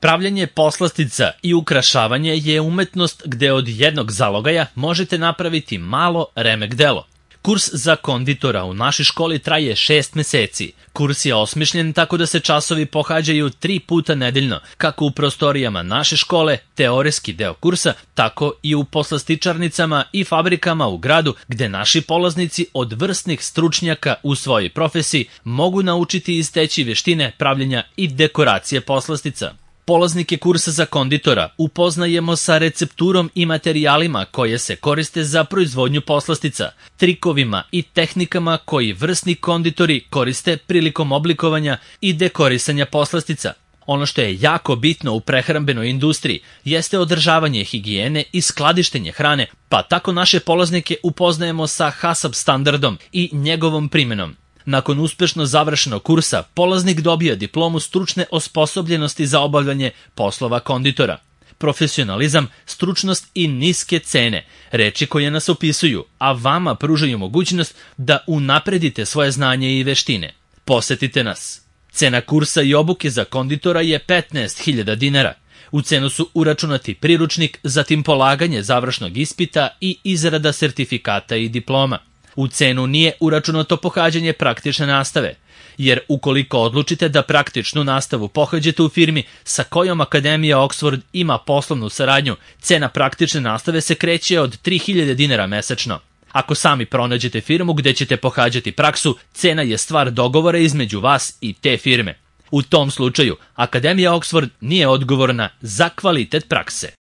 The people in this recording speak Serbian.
Pravljenje poslastica i ukrašavanje je umetnost gde od jednog zalogaja možete napraviti malo remek delo. Kurs za konditora u našoj školi traje 6 meseci. Kurs je osmišljen tako da se časovi pohađaju 3 puta nedeljno, kako u prostorijama naše škole, teorijski deo kursa, tako i u poslastičarnicama i fabrikama u gradu gde naši polaznici od vrsnih stručnjaka u svojoj profesiji mogu naučiti i steći veštine pravljenja i dekoracije poslastica. Polaznike kursa za konditora upoznajemo sa recepturom i materijalima koje se koriste za proizvodnju poslastica, trikovima i tehnikama koji vrsni konditori koriste prilikom oblikovanja i dekorisanja poslastica. Ono što je jako bitno u prehrambenoj industriji jeste održavanje higijene i skladištenje hrane, pa tako naše polaznike upoznajemo sa HACCP standardom i njegovom primenom. Nakon uspešno završenog kursa, polaznik dobija diplomu stručne osposobljenosti za obavljanje poslova konditora. Profesionalizam, stručnost i niske cene, reči koje nas opisuju, a vama pružaju mogućnost da unapredite svoje znanje i veštine. Posetite nas. Cena kursa i obuke za konditora je 15.000 dinara. U cenu su uračunati priručnik, zatim polaganje završnog ispita i izrada sertifikata i diploma. U cenu nije uračunato pohađanje praktične nastave, jer ukoliko odlučite da praktičnu nastavu pohađate u firmi sa kojom Akademija Oxford ima poslovnu saradnju, cena praktične nastave se kreće od 3.000 dinara mesečno. Ako sami pronađete firmu gde ćete pohađati praksu, cena je stvar dogovora između vas i te firme. U tom slučaju, Akademija Oxford nije odgovorna za kvalitet prakse.